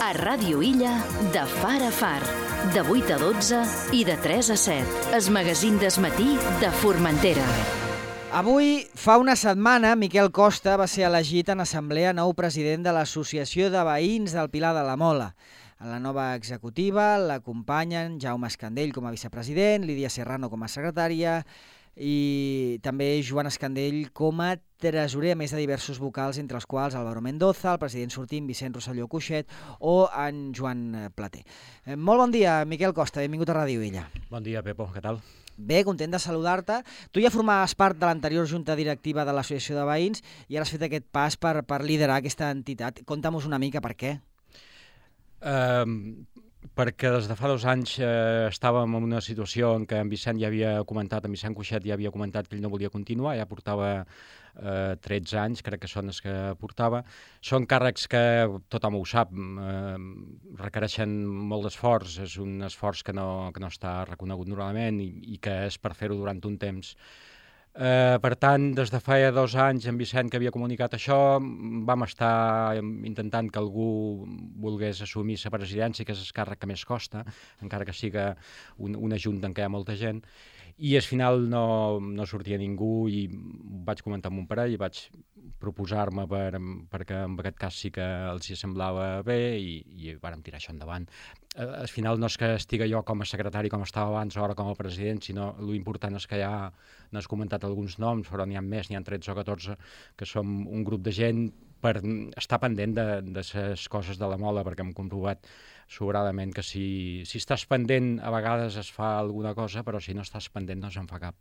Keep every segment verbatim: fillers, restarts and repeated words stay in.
A Ràdio Illa, de far a far, de vuit a dotze i de tres a set. El magazín del matí de Formentera. Avui, fa una setmana, Miquel Costa va ser elegit en assemblea nou president de l'Associació de Veïns del Pilar de la Mola. En la nova executiva l'acompanyen Jaume Escandell com a vicepresident, Lídia Serrano com a secretària i també Joan Escandell com a tresorer, a més de diversos vocals, entre els quals Álvaro Mendoza, el president sortint Vicent Rosselló Cuixet o en Joan Plater. Molt bon dia, Miquel Costa, benvingut a Ràdio Illa. Bon dia, Pepo, què tal? Bé, content de saludar-te. Tu ja formaves part de l'anterior junta directiva de l'Associació de Veïns i ara has fet aquest pas per, per liderar aquesta entitat. Conta'm-nos una mica per què. Uh, perquè des de fa dos anys uh, estàvem en una situació en què en Vicent ja havia comentat, en Vicent Cuixet ja havia comentat que ell no volia continuar, ja portava uh, tretze anys, crec que són els que portava. Són càrrecs que, tothom ho sap, uh, requereixen molt d'esforç, és un esforç que no, que no està reconegut normalment i, i que és per fer-ho durant un temps. Uh, per tant, des de fa dos anys, en Vicent, que havia comunicat això, vam estar intentant que algú volgués assumir la presidència, que és el càrrec que més costa, encara que siga un, una junta en què hi ha molta gent, i al final no, no sortia ningú i vaig comentar amb un parell i vaig proposar-me per, perquè en aquest cas sí que els hi semblava bé i, i vàrem tirar això endavant. Uh, al final no és que estigui jo com a secretari com estava abans o ara com a president, sinó l'important és que ja n'has comentat alguns noms, però n'hi ha més, n'hi ha tretze o catorze, que som un grup de gent per estar pendent de, de les coses de la mola, perquè hem comprovat sobradament que si, si estàs pendent a vegades es fa alguna cosa, però si no estàs pendent no se'n fa cap.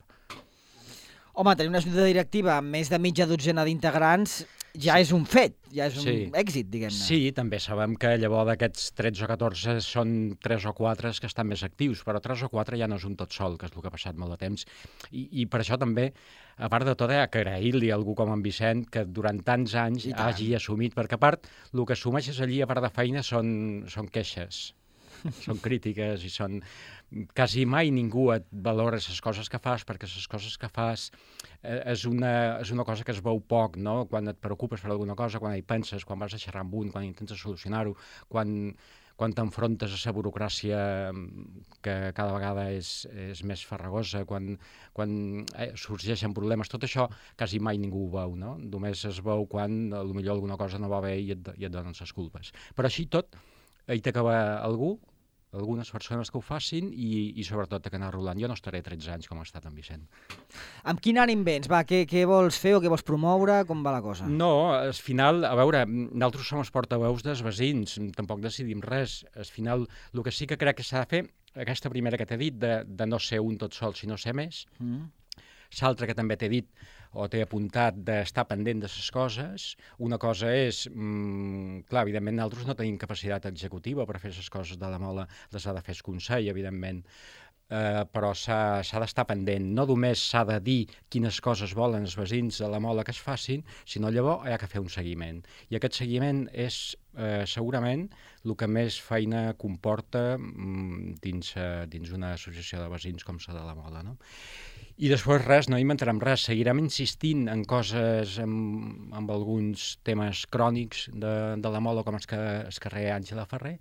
Home, tenir una junta directiva amb més de mitja dotzena d'integrants ja sí. és un fet, ja és un sí. èxit, diguem-ne. Sí, també sabem que llavors d'aquests tretze o catorze són tres o quatre que estan més actius, però tres o quatre ja no és un tot sol, que és el que ha passat molt de temps. I, i per això també, a part de tot, hi ha que agrair-li a algú com en Vicent que durant tants anys hagi assumit, perquè a part, el que assumeixes allí a part de feina són, són queixes, són crítiques i són... Quasi mai ningú et valora les coses que fas, perquè les coses que fas eh, és, una, és una cosa que es veu poc, no? Quan et preocupes per alguna cosa, quan hi penses, quan vas a xerrar amb un, quan intentes solucionar-ho, quan, quan t'enfrontes a la burocràcia que cada vegada és, és més farragosa, quan, quan eh, sorgeixen problemes, tot això quasi mai ningú ho veu, no? Només es veu quan potser alguna cosa no va bé i et, i et donen les culpes. Però així tot, hi t'acaba algú, algunes persones que ho facin i, i sobretot que anar rolant. Jo no estaré tretze anys com ha estat en Vicent. Amb quin ànim vens? Va, què, què vols fer o què vols promoure? Com va la cosa? No, al final, a veure, nosaltres som els portaveus dels veïns, tampoc decidim res. Al final, el que sí que crec que s'ha de fer, aquesta primera que t'he dit, de, de no ser un tot sol, sinó ser més, mm. l'altra que també t'he dit, o t'he apuntat d'estar pendent de les coses. Una cosa és, mmm, clar, evidentment, nosaltres no tenim capacitat executiva per fer les coses de la mola, les ha de fer el Consell, evidentment, uh, però s'ha d'estar pendent. No només s'ha de dir quines coses volen els veïns de la mola que es facin, sinó llavors hi ha que fer un seguiment. I aquest seguiment és uh, segurament el que més feina comporta um, dins, uh, dins una associació de veïns com la de la mola, no? I després res, no inventarem res, seguirem insistint en coses, en, en alguns temes crònics de, de la mola, com el, que, el carrer Àngela Ferrer,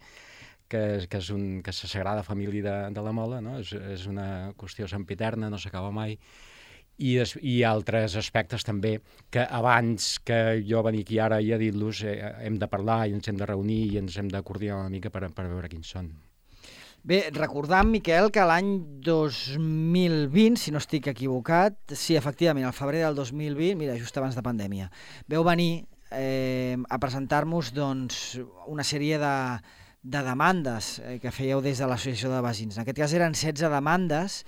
que, que és, un, que és la sagrada família de, de la mola, no? és, és una qüestió sempiterna, no s'acaba mai, i, es, i altres aspectes també, que abans que jo venir aquí ara i a dir-los eh, hem de parlar i ens hem de reunir i ens hem de coordinar una mica per, per veure quins són. Bé, recordant, Miquel, que l'any dos mil vint, si no estic equivocat, sí, efectivament, al febrer del dos mil vint, mira, just abans de pandèmia, veu venir eh, a presentar-nos doncs, una sèrie de, de demandes eh, que fèieu des de l'Associació de Veïns. En aquest cas eren setze demandes.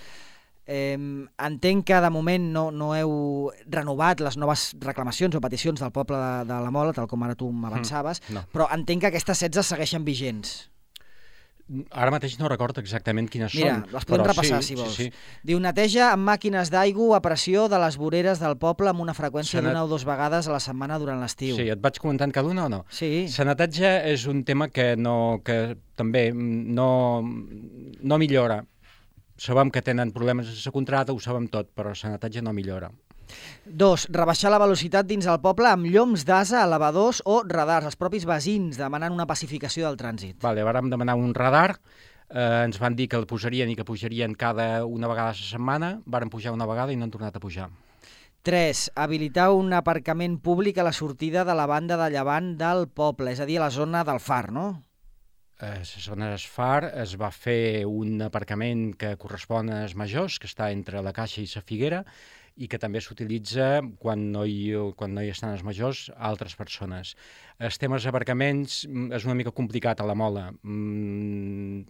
Eh, entenc que de moment no, no heu renovat les noves reclamacions o peticions del poble de, de la Mola, tal com ara tu m'avançaves, mm, no. Però entenc que aquestes setze segueixen vigents. Ara mateix no recordo exactament quines Mira, són. Mira, les podem repassar, sí, si vols. Sí, sí. Diu, neteja amb màquines d'aigua a pressió de les voreres del poble amb una freqüència d'una o dues vegades a la setmana durant l'estiu. Sí, et vaig comentant cada una o no? Sí. La neteja és un tema que, no, que també no, no millora. Sabem que tenen problemes amb la contracta, ho sabem tot, però la neteja no millora. Dos, rebaixar la velocitat dins el poble amb llums d'asa, elevadors o radars. Els propis veïns demanant una pacificació del trànsit. Vale, vàrem demanar un radar, eh, ens van dir que el posarien i que pujarien cada una vegada a la setmana, vàrem pujar una vegada i no han tornat a pujar. Tres, habilitar un aparcament públic a la sortida de la banda de llevant del poble, és a dir, a la zona del Far, no? A la zona del Far es va fer un aparcament que correspon als majors, que està entre la Caixa i la Figuera, i que també s'utilitza quan, no hi, quan no hi estan els majors altres persones. Els temes d'aparcaments és una mica complicat a la Mola. Mm,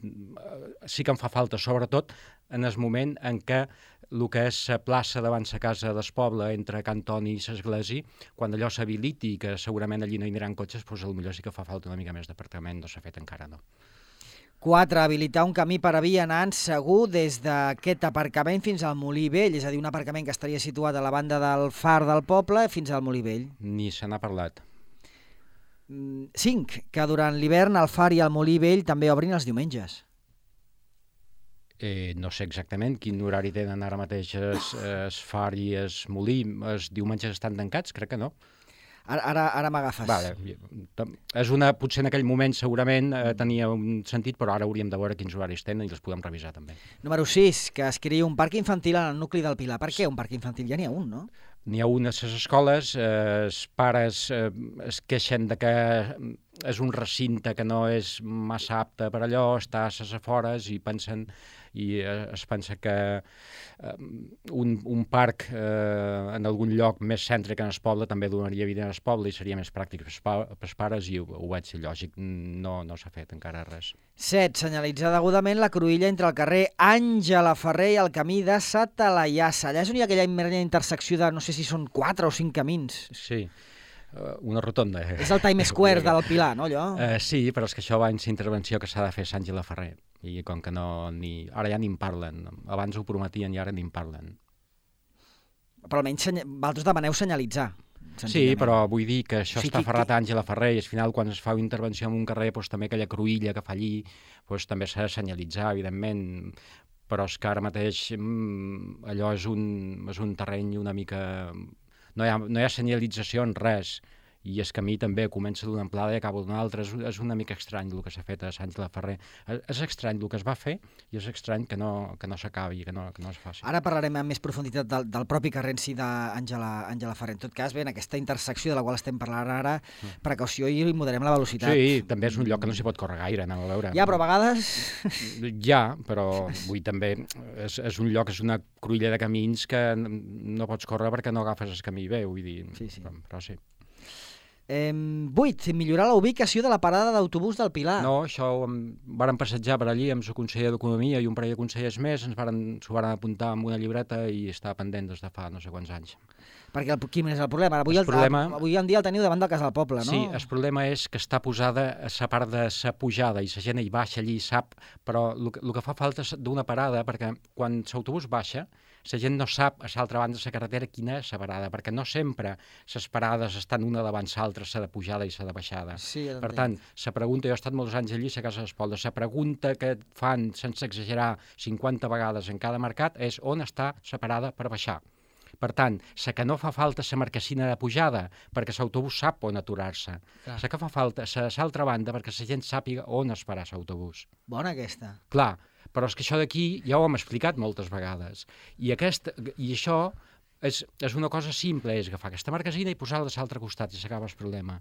sí que em fa falta, sobretot en el moment en què el que és la plaça davant la casa del poble, entre Can Toni i l'església, quan allò s'habiliti i que segurament allí no hi aniran cotxes, doncs potser sí que fa falta una mica més d'apartament, no s'ha fet encara, no. Quatre, habilitar un camí per a vianants segur des d'aquest aparcament fins al Molí Vell, és a dir, un aparcament que estaria situat a la banda del Far del poble fins al Molí Vell. Ni se n'ha parlat. Cinc, que durant l'hivern el Far i el Molí Vell també obrin els diumenges. Eh, no sé exactament quin horari tenen ara mateix es, es Far i es Molí. Els diumenges estan tancats? Crec que no. Ara, ara, ara m'agafes. Vale. És una, potser en aquell moment segurament eh, tenia un sentit, però ara hauríem de veure quins horaris tenen i els podem revisar també. Número sis, que es creï un parc infantil en el nucli del Pilar. Per què un parc infantil? Ja n'hi ha un, no? N'hi ha un a les escoles, eh, els pares eh, es queixen de que és un recinte que no és massa apte per allò, està a les afores i pensen i es pensa que eh, un, un parc eh, en algun lloc més cèntric en el poble també donaria vida al poble i seria més pràctic pels pares i ho, ho veig ser lògic, no, no s'ha fet encara res. Set. Senyalitzar degudament la cruïlla entre el carrer Àngela Ferrer i el camí de Sa Talaiassa. Allà és on hi ha aquella intersecció de no sé si són quatre o cinc camins. Sí. Una rotonda. És el Times Square del Pilar, no, allò? Uh, sí, però és que això va en la intervenció que s'ha de fer a Àngela Ferrer. I com que no... Ni... Ara ja ni en parlen. Abans ho prometien i ara ni en parlen. Però almenys seny... vosaltres demaneu senyalitzar. Sí, però vull dir que això sí, està qui, ferrat qui... a Àngela Ferrer i al final quan es fa una intervenció en un carrer doncs, també aquella cruïlla que fa allí doncs, també s'ha de senyalitzar, evidentment, però és que ara mateix mm, allò és un, és un terreny una mica... No hi ha, no hi ha senyalització en res, i el camí també comença d'una amplada i acaba d'una altra. És, és una mica estrany el que s'ha fet a Àngela Ferrer. És, és estrany el que es va fer i és estrany que no, que no s'acabi, que no, que no es faci. Ara parlarem amb més profunditat del, del propi carrer en si d'Àngela Ferrer. En tot cas, bé, en aquesta intersecció de la qual estem parlant ara, mm. precaució i moderem la velocitat. Sí, també és un lloc que no s'hi pot córrer gaire, anem a veure. Ja, però a vegades... Ja, però vull també... És, és un lloc, és una cruïlla de camins que no pots córrer perquè no agafes el camí bé, vull dir... Sí, sí. Però, però sí. Eh, vuit. Millorar la ubicació de la parada d'autobús del Pilar. No, això ho vàrem passejar per allí amb el conseller d'Economia i un parell de consellers més, ens varen, s'ho varen apuntar amb una llibreta i està pendent des de fa no sé quants anys. Perquè el, quin és el problema? Avui, el, el problema... avui en dia el teniu davant del Cas del Poble, no? Sí, el problema és que està posada a la part de la pujada i la gent hi baixa allí, sap, però el, el que fa falta és d'una parada, perquè quan l'autobús baixa, la gent no sap a l'altra banda de la carretera quina és la parada, perquè no sempre les parades estan una davant l'altra, la de pujada i la de baixada. Sí, ja per tant, la pregunta, jo he estat molts anys allí a Casa del Poble, la pregunta que fan, sense exagerar, cinquanta vegades en cada mercat és on està la parada per baixar. Per tant, la que no fa falta la marquesina de pujada, perquè l'autobús sap on aturar-se. La que fa falta és l'altra banda, perquè la gent sàpiga on esperar l'autobús. Bona aquesta. Clar, però és que això d'aquí ja ho hem explicat moltes vegades. I, aquest, i això és, és una cosa simple, és agafar aquesta marquesina i posar-la a l'altre costat i s'acaba el problema.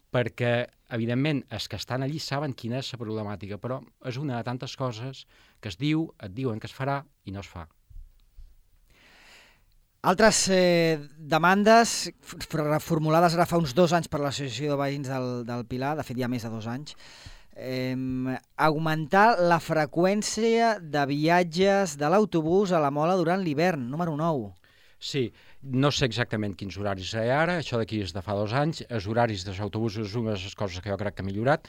Perquè, evidentment, els que estan allí saben quina és la problemàtica, però és una de tantes coses que es diu, et diuen que es farà i no es fa. Altres eh, demandes reformulades ara fa uns dos anys per l'Associació de Veïns del, del Pilar, de fet ja més de dos anys, eh, augmentar la freqüència de viatges de l'autobús a la Mola durant l'hivern, número nou. Sí, no sé exactament quins horaris hi ha ara, això d'aquí és de fa dos anys, els horaris dels autobusos és una de les coses que jo crec que ha millorat.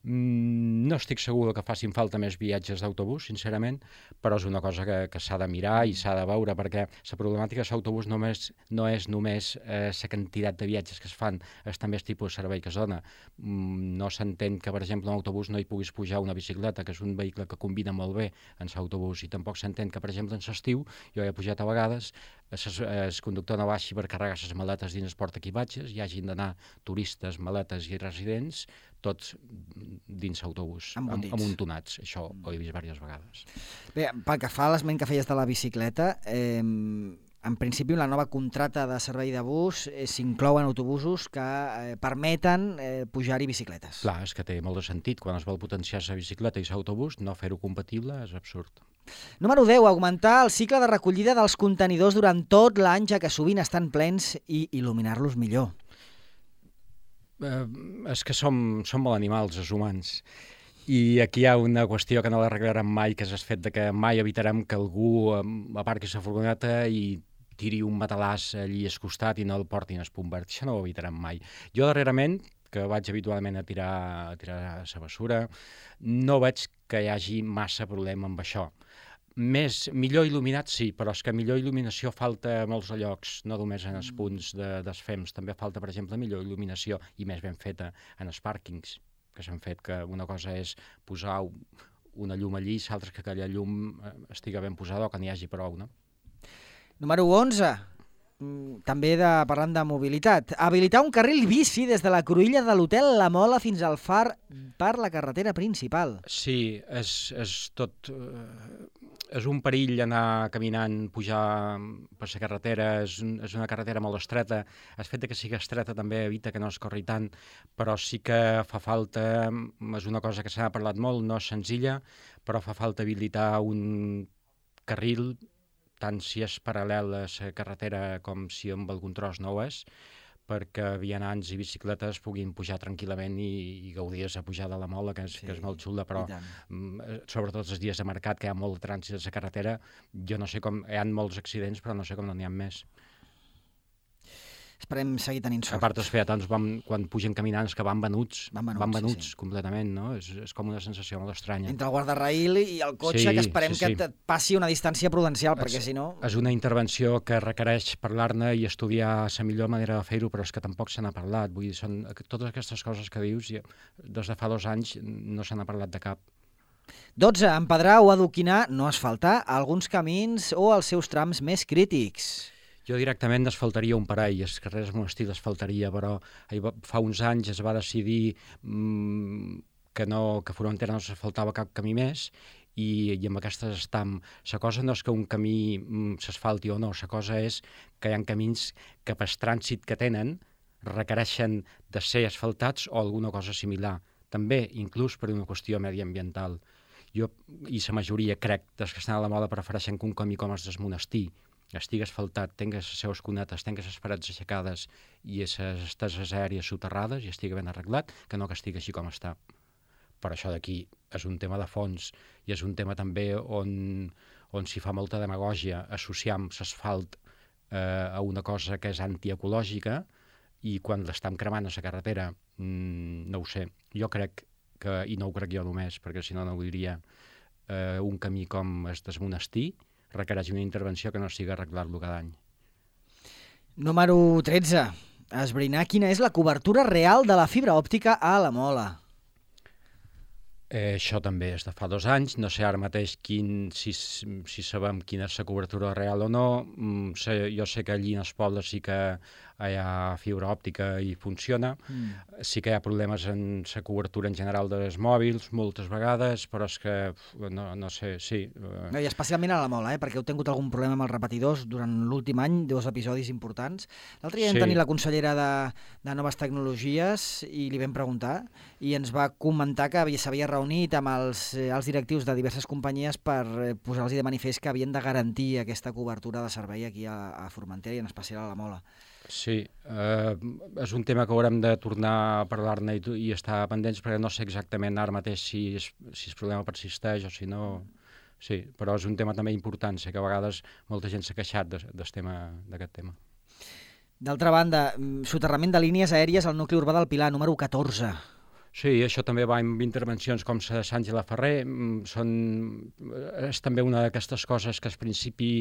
Mm, no estic segur que facin falta més viatges d'autobús, sincerament, però és una cosa que, que s'ha de mirar i s'ha de veure, perquè la problemàtica de l'autobús només, no és només la eh, quantitat de viatges que es fan, és també el tipus de servei que es dona. Mm, no s'entén que, per exemple, en l'autobús no hi puguis pujar una bicicleta, que és un vehicle que combina molt bé en l'autobús, i tampoc s'entén que, per exemple, en l'estiu, jo he pujat a vegades, el conductor no baixi per carregar les maletes dins el portaequipatges, hi hagin d'anar turistes, maletes i residents, tots dins l'autobús, amuntonats. Això ho he vist diverses vegades. Bé, pel que fa a l'esment que feies de la bicicleta, eh, en principi la nova contracta de servei de bus eh, s'inclouen autobusos que eh, permeten eh, pujar-hi bicicletes. Clar, és que té molt de sentit. Quan es vol potenciar la bicicleta i l'autobús, no fer-ho compatible és absurd. Número deu. Augmentar el cicle de recollida dels contenidors durant tot l'any, ja que sovint estan plens, i il·luminar-los millor. Eh, és que som, som molt animals, els humans. I aquí hi ha una qüestió que no l'arreglarem mai, que és el fet de que mai evitarem que algú aparqui la furgoneta i tiri un matalàs allí al costat i no el portin al punt verd. Això no ho evitarem mai. Jo darrerament, que vaig habitualment a tirar, a tirar la bessura, no veig que hi hagi massa problema amb això. Més, millor il·luminat sí, però és que millor il·luminació falta a molts llocs, no només en els punts de, dels F E Ms, també falta, per exemple, millor il·luminació i més ben feta en els pàrquings, que s'han fet, que una cosa és posar una llum allí, l'altra que aquella llum estiga ben posada o que n'hi hagi prou, no? Número onze. També de, parlant de mobilitat. Habilitar un carril bici des de la cruïlla de l'hotel La Mola fins al Far per la carretera principal. Sí, és, és tot... Eh, és un perill anar caminant, pujar per la carretera, és, un, és una carretera molt estreta. El fet que sigui estreta també evita que no es corri tant, però sí que fa falta, és una cosa que s'ha parlat molt, no és senzilla, però fa falta habilitar un carril, tant si és paral·lel a la carretera com si amb algun tros no ho és, perquè vianants i bicicletes puguin pujar tranquil·lament i, i gaudir de la pujada a la Mola, que és, sí, que és molt xula, però sobretot els dies de mercat, que hi ha molt de trànsit a la carretera, jo no sé com, hi ha molts accidents, però no sé com no n'hi ha més. Esperem seguir tenint sort. A part, els peatons, van, quan pugen caminants, que van venuts, van venuts, van venuts sí, sí. completament, no? És, és com una sensació molt estranya. Entre el guardarraïl i el cotxe, sí, que esperem sí, sí. que et passi una distància prudencial, perquè si no... És una intervenció que requereix parlar-ne i estudiar la millor manera de fer-ho, però és que tampoc se n'ha parlat. Vull dir, són totes aquestes coses que dius, des de fa dos anys no se n'ha parlat de cap. dotze. Empedrar o adoquinar, no asfaltar, alguns camins o els seus trams més crítics. Jo directament asfaltaria un parell, els carrers Monestir asfaltaria, però fa uns anys es va decidir mmm, que, no, que Formentera no s'asfaltava cap camí més i, i amb aquestes estam. La cosa no és que un camí mm, s'asfalti o no, la cosa és que hi ha camins que per trànsit que tenen requereixen de ser asfaltats o alguna cosa similar. També, inclús per una qüestió mediambiental. Jo i la majoria, crec, dels que estan a la Mola prefereixen que un camí com el del Monestir estigui asfaltat, tingues les seves cunetes, tingues les parets aixecades i les esteses aèries soterrades i estigui ben arreglat, que no que estigui així com està. Però això d'aquí és un tema de fons i és un tema també on, on s'hi fa molta demagògia, associam l'asfalt eh, a una cosa que és antiecològica i quan l'estem cremant a la carretera, mmm, no ho sé. Jo crec que, i no ho crec jo només, perquè si no no ho diria, eh, un camí com el del Monestir requereix una intervenció que no sigui arreglar-lo cada any. Número tretze. Esbrinar quina és la cobertura real de la fibra òptica a la Mola. Eh, això també és de fa dos anys. No sé ara mateix quin, si, si sabem quina és la cobertura real o no. Mm, sé, jo sé que allí en els pobles sí que hi ha fibra òptica i funciona. Mm. Sí que hi ha problemes en la cobertura en general dels mòbils, moltes vegades, però és que, no, no sé, sí. No, i especialment a la Mola, eh, perquè heu tingut algun problema amb els repetidors durant l'últim any, dos episodis importants. L'altre dia sí. vam tenir la consellera de, de Noves Tecnologies i li vam preguntar, i ens va comentar que s'havia reunit amb els, els directius de diverses companyies per posar-los de manifest que havien de garantir aquesta cobertura de servei aquí a, a Formentera i en especial a la Mola. Sí, eh, és un tema que haurem de tornar a parlar-ne i, i estar pendents, perquè no sé exactament ara mateix si, es, si el problema persisteix o si no... Sí, però és un tema també important, sé que a vegades molta gent s'ha queixat d'aquest tema, d'aquest tema. D'altra banda, soterrament de línies aèries al nucli urbà del Pilar, número catorze. Sí, això també va amb intervencions com la de Sàngela Ferrer. Són, és també una d'aquestes coses que al principi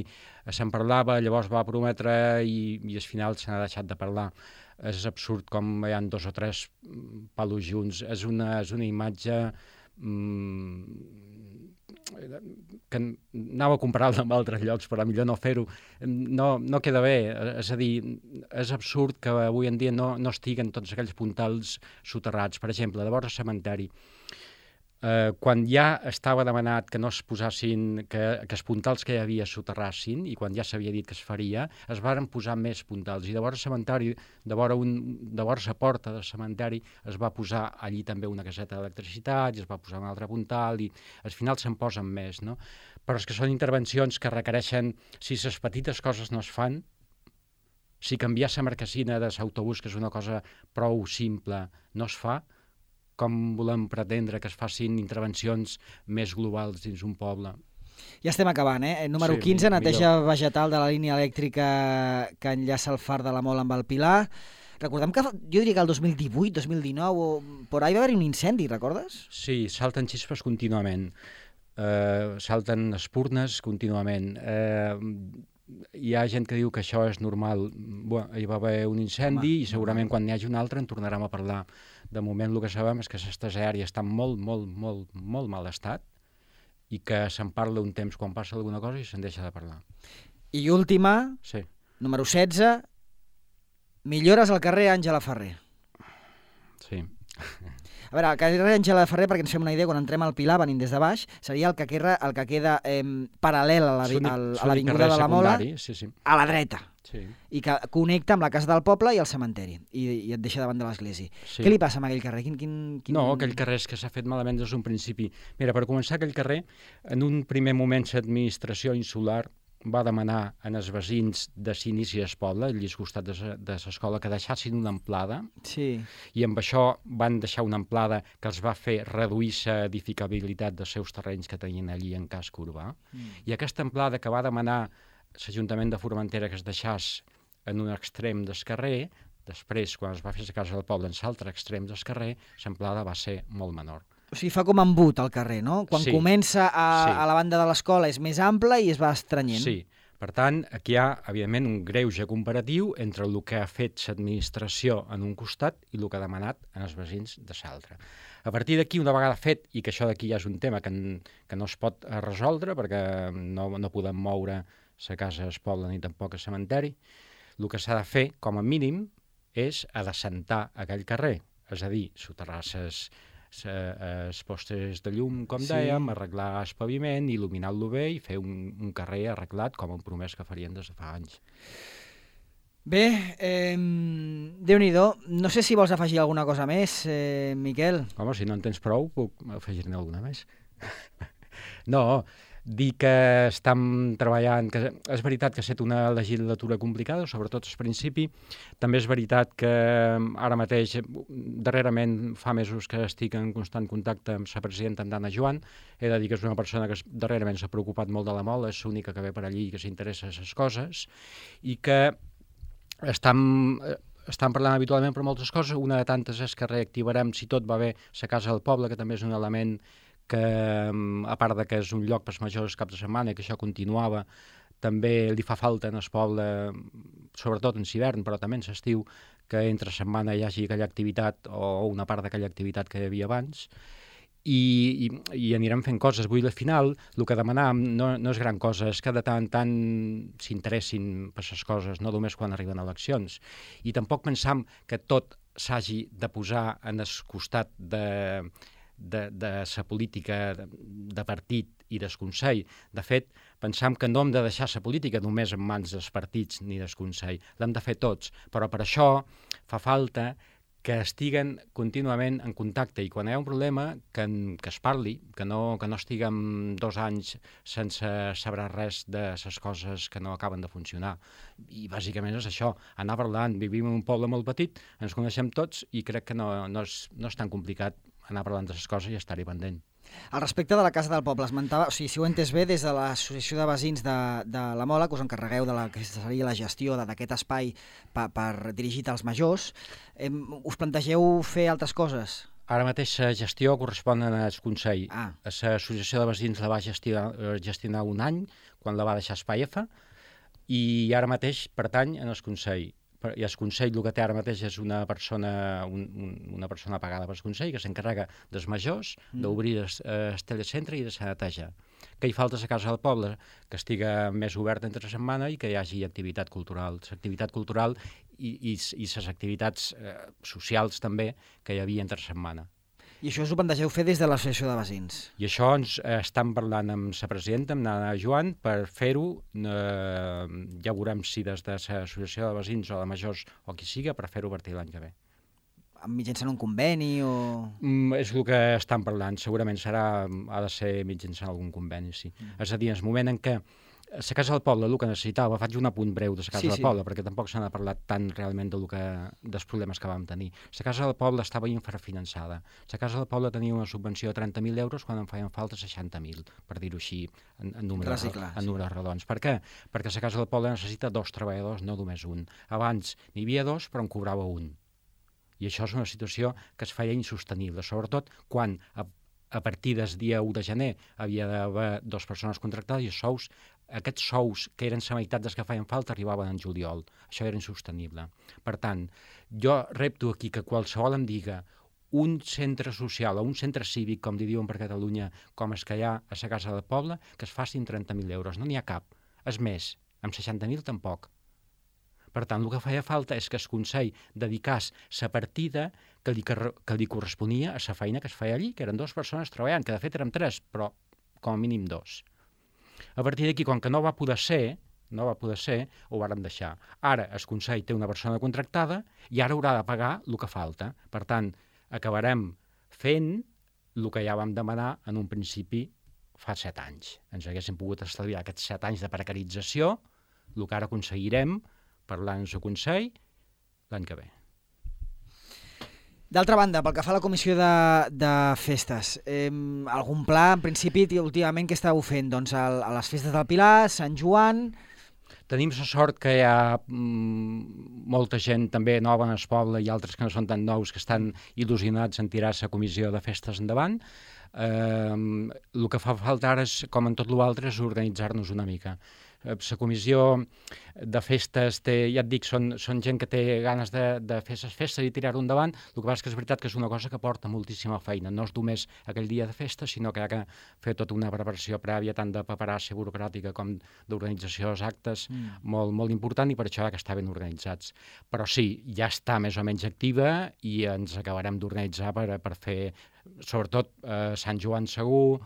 se'n parlava, llavors va prometre i, i al final se n'ha deixat de parlar. És absurd com hi ha dos o tres palos junts. És una, és una imatge mmm, que anava a comparar-la amb altres llocs, però millor no fer-ho. No, no queda bé, és a dir, és absurd que avui en dia no, no estiguen tots aquells puntals soterrats. Per exemple, de vora el cementeri, eh, quan ja estava demanat que no es posassin, que, que els puntals que hi havia soterrassin, i quan ja s'havia dit que es faria, es varen posar més puntals. I de vora el cementeri, de vora, un, de vora la porta del cementeri, es va posar allí també una caseta d'electricitat, i es va posar un altre puntal, i al final se'n posen més, no? Però és que són intervencions que requereixen, si les petites coses no es fan, si canviar la marquesina de l'autobús, que és una cosa prou simple, no es fa, com volem pretendre que es facin intervencions més globals dins un poble. Ja estem acabant, eh? Número Sí, quinze, neteja millor. vegetal de la línia elèctrica que enllaça el far de la Mola amb el Pilar. Recordem que jo diria que el dos mil divuit, dos mil dinou, o por ahí va haver un incendi, recordes? Sí, salten xispes contínuament, uh, salten espurnes contínuament. Uh, hi ha gent que diu que això és normal. Bé, hi va haver un incendi Home, i segurament normal. Quan n'hi hagi un altre en tornarem a parlar. De moment el que sabem és que aquestes àrees estan molt, molt, molt, molt mal estat i que se'n parla un temps quan passa alguna cosa i se'n deixa de parlar. I última, sí. número setze, millores al carrer Àngela Ferrer. Sí. A veure, el carrer Àngela Ferrer, perquè ens fem una idea, quan entrem al Pilar, venint des de baix, seria el que queda, el que queda eh, paral·lel a l'avinguda de la Mola, sí, sí. a la dreta, sí. i que connecta amb la casa del poble i el cementeri, i, i et deixa davant de l'església. Sí. Què li passa amb aquell carrer? Quin, quin, quin... No, aquell carrer és que s'ha fet malament des d'un principi. Mira, per començar, aquell carrer, en un primer moment l'administració insular va demanar en els veïns de l'inici del poble, al llis costat de l'escola, que deixassin una amplada, sí. i amb això van deixar una amplada que els va fer reduir la edificabilitat dels seus terrenys que tenien allí en casc urbà. Mm. I aquesta amplada que va demanar l'Ajuntament de Formentera que es deixés en un extrem del carrer, després, quan es va fer la casa del poble en l'altre extrem del carrer, l'amplada va ser molt menor. O sigui, fa com embut al carrer, no? Quan sí. comença a, sí. a la banda de l'escola és més ample i es va estrenyent. Sí, per tant, aquí hi ha, evidentment, un greuge comparatiu entre el que ha fet l'administració en un costat i el que ha demanat en els veïns de l'altre. A partir d'aquí, una vegada fet, i que això d'aquí ja és un tema que, que no es pot resoldre perquè no, no podem moure la casa al poble ni tampoc al cementeri, el que s'ha de fer, com a mínim, és adecentar aquell carrer, és a dir, soterrar les els postes de llum, com sí. dèiem, arreglar el paviment, il·luminar-lo bé i fer un, un carrer arreglat com han promès que farien des de fa anys. Bé, eh, Déu-n'hi-do. No sé si vols afegir alguna cosa més, eh, Miquel. Home, si no en tens prou, puc afegir-ne alguna més. No, dir que estem treballant, que és veritat que ha estat una legislatura complicada, sobretot al principi. També és veritat que ara mateix, darrerament, fa mesos que estic en constant contacte amb la presidenta Andana Joan. He de dir que és una persona que darrerament s'ha preocupat molt de la Mola, és l'única que ve per allí i que s'interessa en les coses, i que estem... Estan parlant habitualment per moltes coses. Una de tantes és que reactivarem, si tot va bé, la Casa del Poble, que també és un element que, a part de que és un lloc per als majors cap de setmana, que això continuava, també li fa falta en el poble, sobretot en l'hivern, però també en l'estiu, que entre setmana hi hagi aquella activitat o una part d'aquella activitat que hi havia abans. I, i, i anirem fent coses. Vull, al final, el que demanam no, no és gran cosa, és que de tant en tant s'interessin per les coses, no només quan arriben eleccions. I tampoc pensam que tot s'hagi de posar en el costat de, de, de la política de, de partit i del Consell. De fet, pensam que no hem de deixar la política només en mans dels partits ni del Consell. L'hem de fer tots, però per això fa falta que estiguen contínuament en contacte i quan hi ha un problema que, que es parli, que no, que no estiguem dos anys sense saber res de les coses que no acaben de funcionar. I bàsicament és això, anar parlant. Vivim en un poble molt petit, ens coneixem tots i crec que no, no, és, no és tan complicat anar parlant de les coses i estar-hi pendent. Al respecte de la Casa del Poble, esmentava, o sigui, si ho he entès bé, des de l'Associació de Veïns de, de la Mola, que us encarregueu de la que seria la gestió d'aquest espai per, per dirigit als majors, eh, us plantegeu fer altres coses? Ara mateix la gestió correspon al Consell. Ah. L'Associació de Veïns la va gestionar, gestionar un any, quan la va deixar Espaiefa, i ara mateix pertany al Consell. I el Consell el que té ara mateix és una persona, un, un, una persona pagada pel Consell que s'encarrega dels majors, mm. d'obrir el, el telecentre i de la neteja. Que hi falta a la Casa del Poble, que estiga més oberta entre setmana i que hi hagi activitat cultural. L'activitat cultural i, i, i les activitats eh, socials també que hi havia entre setmana. I això us ho plantegeu fer des de l'Associació de Veïns? I això ens eh, estan parlant amb la presidenta, amb Nana Joan, per fer-ho. Eh, ja veurem si des de l'Associació de Veïns o de Majors o qui siga, per fer-ho a partir de l'any que ve. Mitjançant un conveni o...? Mm, és el que estan parlant. Segurament serà, ha de ser mitjançant algun conveni, sí. Mm. És a dir, en el moment en què la Casa del Poble, el que necessitava, faig un apunt breu de la Casa sí, del sí. Poble, perquè tampoc se n'ha parlat tant realment de lo que, dels problemes que vam tenir. La Casa del Poble estava infrafinançada. La Casa del Poble tenia una subvenció de trenta mil euros quan en feien falta seixanta mil, per dir-ho així, en, en, números, clar, en números sí. redons. Per què? Perquè la Casa del Poble necessita dos treballadors, no només un. Abans n'hi havia dos, però en cobrava un. I això és una situació que es feia insostenible, sobretot quan a, a partir del dia u de gener havia d'haver dues persones contractades i els sous, aquests sous, que eren la meitat dels que feien falta, arribaven en juliol. Això era insostenible. Per tant, jo repto aquí que qualsevol em diga un centre social o un centre cívic, com li diuen per Catalunya, com és que hi ha a la Casa del Poble, que es facin trenta mil euros. No n'hi ha cap. És més, amb seixanta mil tampoc. Per tant, el que feia falta és que el Consell dedicés la partida que li, que li corresponia a la feina que es feia allí, que eren dues persones treballant, que de fet érem tres, però com a mínim dos. A partir d'aquí, com que no va poder ser, no va poder ser, ho vàrem deixar. Ara el Consell té una persona contractada i ara haurà de pagar el que falta. Per tant, acabarem fent el que ja vam demanar en un principi fa set anys. Ens haguéssim pogut estalviar aquests set anys de precarització, el que ara aconseguirem parlant amb el Consell l'any que ve. D'altra banda, pel que fa a la comissió de, de festes, eh, algun pla, en principi, últimament, què estàveu fent? Doncs a, a les festes del Pilar, Sant Joan... Tenim la sort que hi ha mm, molta gent també nova en el poble i altres que no són tan nous que estan il·lusionats en tirar la comissió de festes endavant. Eh, el que fa falta ara, és, com en tot l'altre, és organitzar-nos una mica. La comissió de festes, té, ja et dic, són, són gent que té ganes de, de fer les festes i tirar-ho endavant. El que passa és que és veritat que és una cosa que porta moltíssima feina. No és només aquell dia de festa, sinó que hi ha que fer tota una preparació prèvia, tant de paperassa burocràtica com d'organització dels actes, mm. molt, molt important, i per això hi ha que estar ben organitzats. Però sí, ja està més o menys activa i ens acabarem d'organitzar per, per fer, sobretot, eh, Sant Joan segur,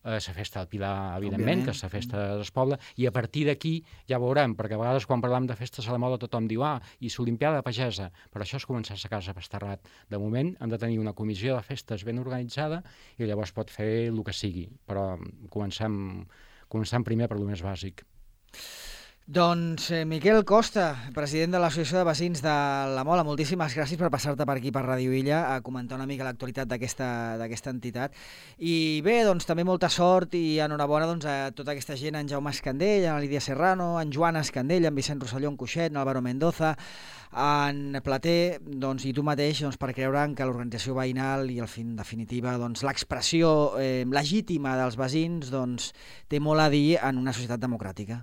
la festa del Pilar, evidentment, que és la festa del poble, i a partir d'aquí ja veurem, perquè a vegades quan parlem de festes a la moda tothom diu, ah, i l'Olimpiada pagesa, però això és començar a casa a Pasterrat. De moment hem de tenir una comissió de festes ben organitzada i llavors pot fer el que sigui, però comencem, comencem primer per lo més bàsic. Doncs eh, Miquel Costa, president de l'Associació de Veïns de la Mola, moltíssimes gràcies per passar-te per aquí per Ràdio Illa a comentar una mica l'actualitat d'aquesta entitat. I bé, doncs també molta sort i enhorabona doncs, a tota aquesta gent, en Jaume Escandell, en Lídia Serrano, en Joan Escandell, en Vicent Rosselló, en Cuixet, en Álvaro Mendoza, en Plater, doncs, i tu mateix, doncs, per creure que l'organització veïnal i, en definitiva, doncs, l'expressió eh, legítima dels veïns doncs, té molt a dir en una societat democràtica.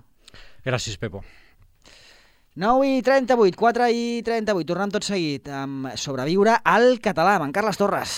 Gràcies, Pepo. nou i trenta-vuit, quatre i trenta-vuit, tornem tot seguit amb Sobreviure al català, amb en Carles Torres.